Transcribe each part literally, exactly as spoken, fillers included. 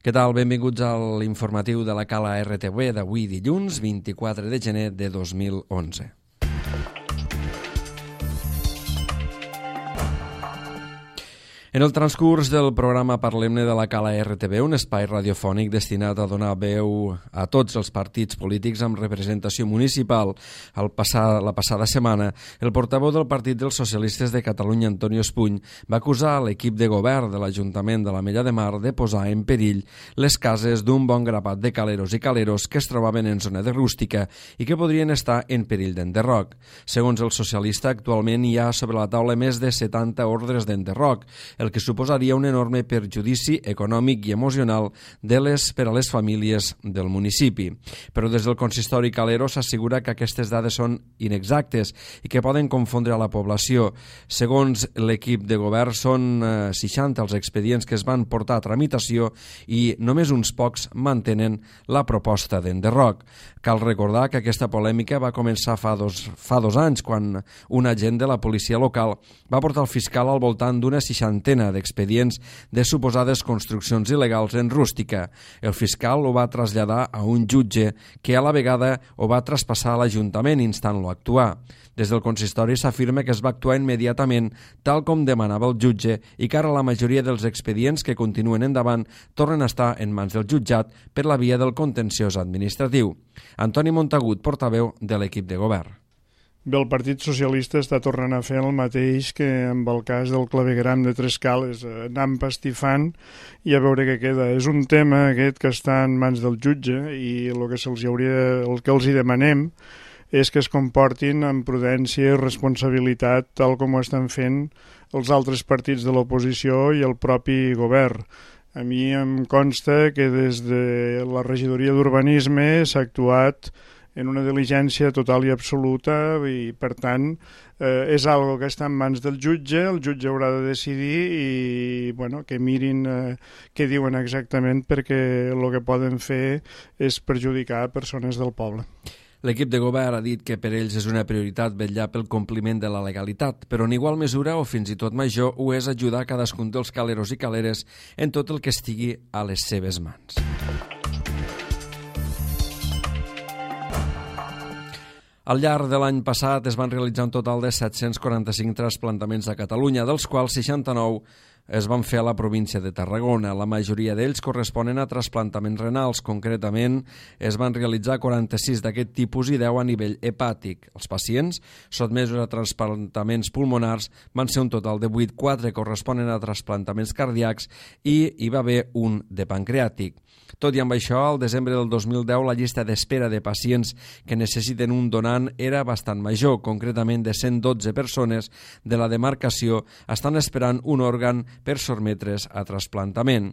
Què tal? Benvinguts a l'informatiu de la Cala R T V d'avui dilluns, vint-i-quatre de gener de dos mil onze. En el transcurs del programa Parlem-ne de la Cala R T V, un espai radiofònic destinat a donar veu a tots els partits polítics amb representació municipal. El passar, la passada setmana, el portaveu del Partit dels Socialistes de Catalunya, Antonio Espuny, va acusar l'equip de govern de l'Ajuntament de l'Ametlla de Mar de posar en perill les cases d'un bon grapat de caleros i caleros que es trobaven en zona de rústica i que podrien estar en perill d'enderroc. Segons el socialista, actualment hi ha sobre la taula més de setanta ordres d'enderroc, el que suposaria un enorme perjudici econòmic i emocional de les, per a les famílies del municipi. Però des del consistori calero s'assegura que aquestes dades són inexactes i que poden confondre a la població. Segons l'equip de govern, són eh, seixanta els expedients que es van portar a tramitació i només uns pocs mantenen la proposta d'enderroc. Cal recordar que aquesta polèmica va començar fa dos, fa dos anys, quan un agent de la policia local va portar el fiscal al voltant d'una seixantena d'expedients de suposades construccions il·legals en rústica. El fiscal ho va traslladar a un jutge que a la vegada ho va traspassar a l'Ajuntament instant-lo a actuar. Des del consistori s'afirma que es va actuar immediatament tal com demanava el jutge i que ara la majoria dels expedients que continuen endavant tornen a estar en mans del jutjat per la via del contenciós administratiu. Antoni Montagut, portaveu de l'equip de govern. Bé, el Partit Socialista està tornant a fer el mateix que amb el cas del clavegueram de Tres Cales, anar empastifant i a veure què queda. És un tema aquest que està en mans del jutge i el que, se'ls hauria, el que els hi demanem és que es comportin amb prudència i responsabilitat tal com ho estan fent els altres partits de l'oposició i el propi govern. A mi em consta que des de la regidoria d'Urbanisme s'ha actuat en una diligència total i absoluta i, per tant, eh, és algo que està en mans del jutge, el jutge haurà de decidir i bueno, que mirin eh, què diuen exactament perquè el que poden fer és perjudicar persones del poble. L'equip de govern ha dit que per ells és una prioritat vetllar pel compliment de la legalitat, però en igual mesura o fins i tot major ho és ajudar cadascun dels caleros i caleres en tot el que estigui a les seves mans. Al llarg de l'any passat es van realitzar un total de set-cents quaranta-cinc trasplantaments a Catalunya, dels quals seixanta-nou es van fer a la província de Tarragona. La majoria d'ells corresponen a trasplantaments renals. Concretament, es van realitzar quaranta-sis d'aquest tipus i deu a nivell hepàtic. Els pacients sotmesos a trasplantaments pulmonars van ser un total de vuit, quatre corresponen a trasplantaments cardíacs i hi va haver un de pancreàtic. Tot i amb això, al desembre del dos mil deu la llista d'espera de pacients que necessiten un donant era bastant major. Concretament, de cent dotze persones de la demarcació estan esperant un òrgan per sotmetre's a trasplantament.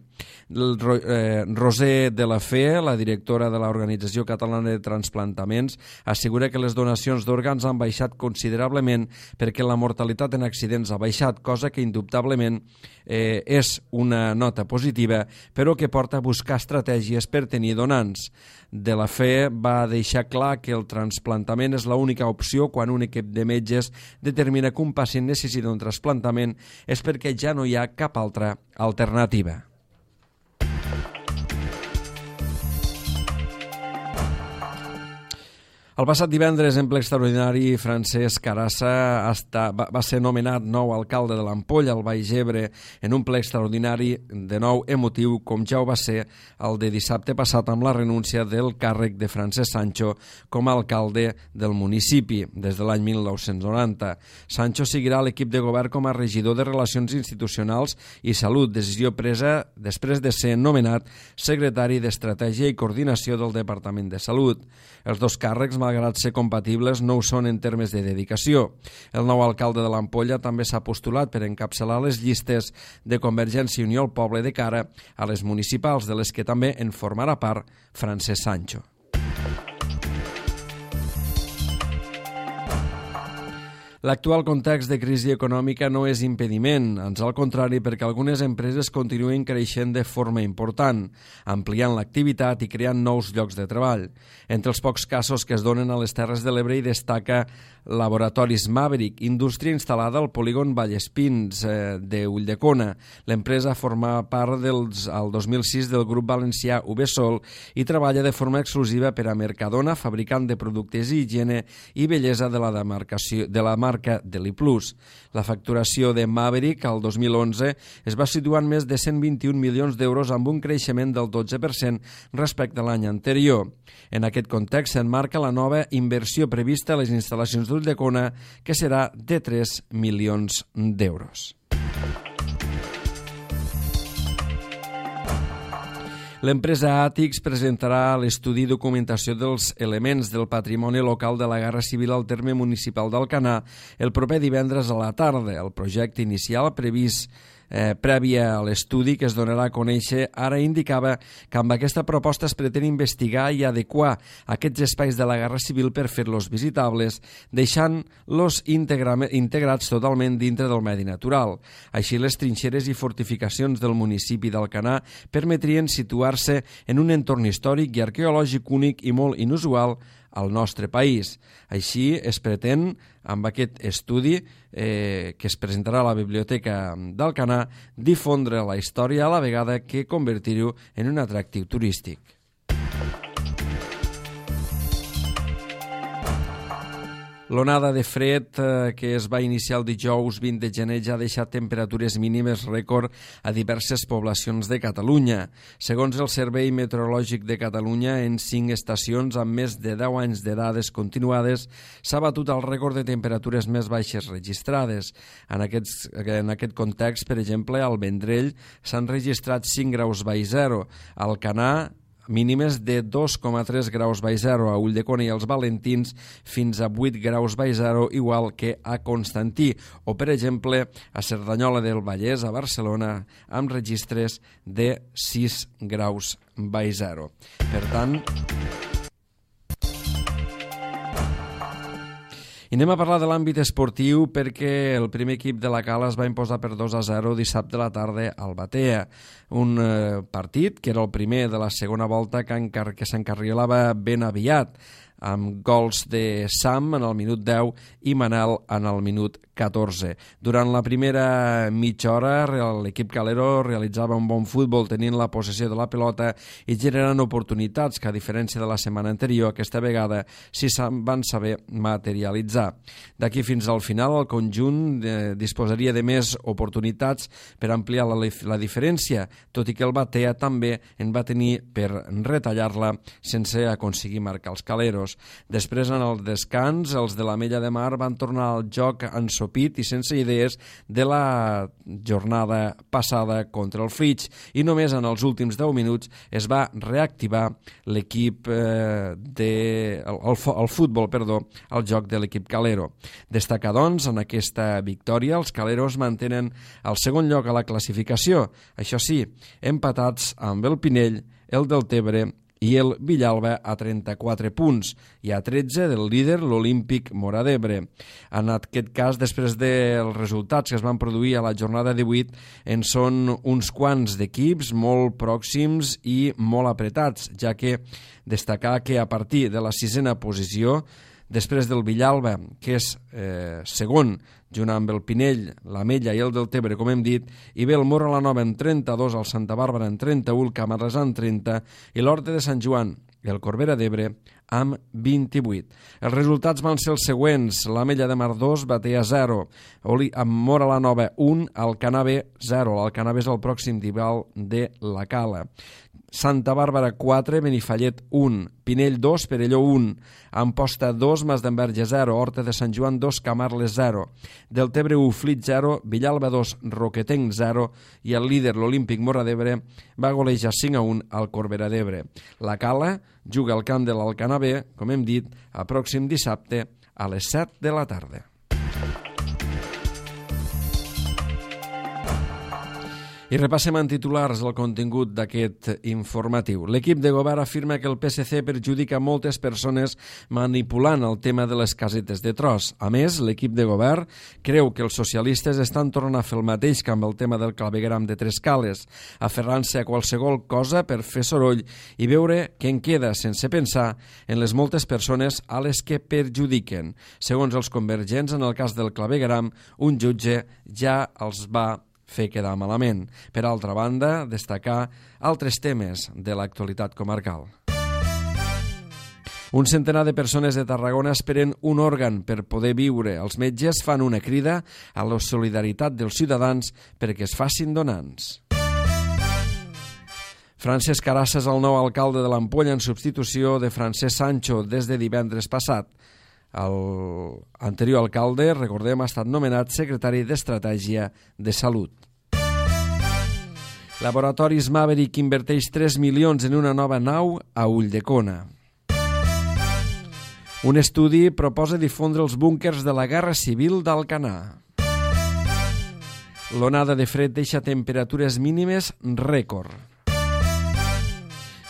El, eh, Roser de la Fe, la directora de l'Organització Catalana de Transplantaments, assegura que les donacions d'òrgans han baixat considerablement perquè la mortalitat en accidents ha baixat, cosa que indubtablement eh, és una nota positiva, però que porta a buscar estratègies per tenir donants. De la Fe va deixar clar que el trasplantament és l'única opció quan un equip de metges determina que un pacient necessita un trasplantament és perquè ja no hi ha cap altra alternativa. El passat divendres, en ple extraordinari, Francesc Carassa està, va, va ser nomenat nou alcalde de l'Ampolla, al Baix Ebre, en un ple extraordinari de nou emotiu, com ja ho va ser el de dissabte passat amb la renúncia del càrrec de Francesc Sancho com a alcalde del municipi des de l'any mil nou-cents noranta. Sancho seguirà a l'equip de govern com a regidor de Relacions Institucionals i Salut, decisió presa després de ser nomenat secretari d'Estratègia i Coordinació del Departament de Salut. Els dos càrrecs, malgrat ser compatibles, no ho són en termes de dedicació. El nou alcalde de l'Ampolla també s'ha postulat per encapçalar les llistes de Convergència i Unió al poble de cara a les municipals, de les que també en formarà part Francesc Sancho. L'actual context de crisi econòmica no és impediment, ans al contrari, perquè algunes empreses continuen creixent de forma important, ampliant l'activitat i creant nous llocs de treball. Entre els pocs casos que es donen a les Terres de l'Ebre hi destaca Laboratoris Maverick, indústria instal·lada al polígon Vallespins eh, de Ulldecona. L'empresa forma part dels, al dos mil sis del grup valencià Uvesol i treballa de forma exclusiva per a Mercadona, fabricant de productes i higiene i bellesa de la, demarcació, de la marca Deliplus. La facturació de Maverick al dos mil onze es va situar en més de cent vint-i-un milions d'euros amb un creixement del dotze per cent respecte a l'any anterior. En aquest context s'enmarca la nova inversió prevista a les instal·lacions d'Ulldecona, que serà de tres milions d'euros. L'empresa Àtics presentarà l'estudi i documentació dels elements del patrimoni local de la Guerra Civil al terme municipal d'Alcanar el proper divendres a la tarda. El projecte inicial previst Eh, prèvia a l'estudi que es donarà a conèixer, ara indicava que amb aquesta proposta es pretén investigar i adequar aquests espais de la Guerra Civil per fer-los visitables, deixant-los integrats totalment dintre del medi natural. Així, les trinxeres i fortificacions del municipi d'Alcanar permetrien situar-se en un entorn històric i arqueològic únic i molt inusual al nostre país. Així es pretén, amb aquest estudi eh, que es presentarà a la Biblioteca d'Alcanar, difondre la història a la vegada que convertir-ho en un atractiu turístic. L'onada de fred eh, que es va iniciar el dijous vint de gener ja ha deixat temperatures mínimes rècord a diverses poblacions de Catalunya. Segons el Servei Meteorològic de Catalunya, en cinc estacions amb més de deu anys de dades continuades s'ha batut el rècord de temperatures més baixes registrades. En, aquests, en aquest context, per exemple, al Vendrell s'han registrat cinc graus baix zero, al Alcanar mínimes de dos coma tres graus baix zero, a Ulldecona i els Valentins fins a vuit graus baix zero, igual que a Constantí, o per exemple a Cerdanyola del Vallès, a Barcelona, amb registres de sis graus baix zero. Per tant, i anem a parlar de l'àmbit esportiu perquè el primer equip de la Cala es va imposar per dos a zero dissabte a la tarda al Batea. Un eh, partit que era el primer de la segona volta que, encar que s'encarrilava ben aviat, amb gols de Sam en el minut deu i Manel en el minut catorze. Durant la primera mitja hora, l'equip calero realitzava un bon futbol tenint la possessió de la pelota i generant oportunitats que, a diferència de la setmana anterior, aquesta vegada sí van saber materialitzar. D'aquí fins al final, el conjunt eh, disposaria de més oportunitats per ampliar la, la diferència, tot i que el Batea també en va tenir per retallar-la sense aconseguir marcar els caleros. Després, en el descans, els de l'Ametlla de Mar van tornar al joc ensopit i sense idees de la jornada passada contra el Flix, i només en els últims deu minuts es va reactivar l'equip eh, de... El, el, el futbol, perdó, el joc de l'equip calero. Destacar, doncs, en aquesta victòria, els caleros mantenen el segon lloc a la classificació, això sí, empatats amb el Pinell, el Deltebre i el Villalba a trenta-quatre punts i a tretze del líder, l'Olímpic Móra d'Ebre. En aquest cas, després dels resultats que es van produir a la jornada divuit, en són uns quants d'equips molt pròxims i molt apretats, ja que destacar que a partir de la sisena posició, després del Villalba, que és eh, segon, junt amb el Pinell, l'Ametlla i el Deltebre, com hem dit, i ve el Móra la Nova en trenta-dos, el Santa Bàrbara en trenta-u, el Camarles en trenta i l'Horta de Sant Joan i el Corbera d'Ebre amb vint-i-vuit. Els resultats van ser els següents: l'Ametlla de Mar dos, Batea zero, amb Móra la Nova un, Alcanar B zero. L'Alcanar B és el pròxim rival de la Cala. Santa Bàrbara quatre, Benifallet un, Pinell dos, Perelló un, Amposta dos, Masdenverge zero, Horta de Sant Joan dos, Camarles zero, Deltebre u, Flit zero, Villalba dos, Roquetenc zero i el líder, l'Olímpic Móra d'Ebre, va golejar cinc a un al Corbera d'Ebre. La Cala juga al camp de l'Alcanar B, com hem dit, el pròxim dissabte a les set de la tarda. I repassem en titulars el contingut d'aquest informatiu. L'equip de govern afirma que el P S C perjudica moltes persones manipulant el tema de les casetes de tros. A més, l'equip de govern creu que els socialistes estan tornant a fer el mateix que amb el tema del clavegueram de Trescales, aferrant-se a qualsevol cosa per fer soroll i veure què en queda sense pensar en les moltes persones a les que perjudiquen. Segons els convergents, en el cas del clavegueram, un jutge ja els va fer quedar malament. Per altra banda, destacar altres temes de l'actualitat comarcal. Un centenar de persones de Tarragona esperen un òrgan per poder viure. Els metges fan una crida a la solidaritat dels ciutadans perquè es facin donants. Francesc Carassa és el nou alcalde de l'Ampolla en substitució de Francesc Sancho des de divendres passat. L'anterior alcalde, recordem, ha estat nomenat secretari d'Estratègia de Salut. Laboratoris Maverick inverteix tres milions en una nova nau a Ulldecona. Un estudi proposa difondre els búnquers de la Guerra Civil d'Alcanar. L'onada de fred deixa temperatures mínimes rècord.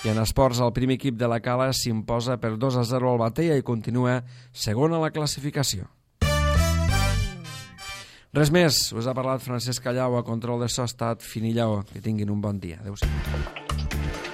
I en esports, el primer equip de la Cala s'imposa per dos a zero al Batea i continua segon a la classificació. Res més, us ha parlat Francesc Callau, a control de so ha estat Finillau. Que tinguin un bon dia. Adéu-siau.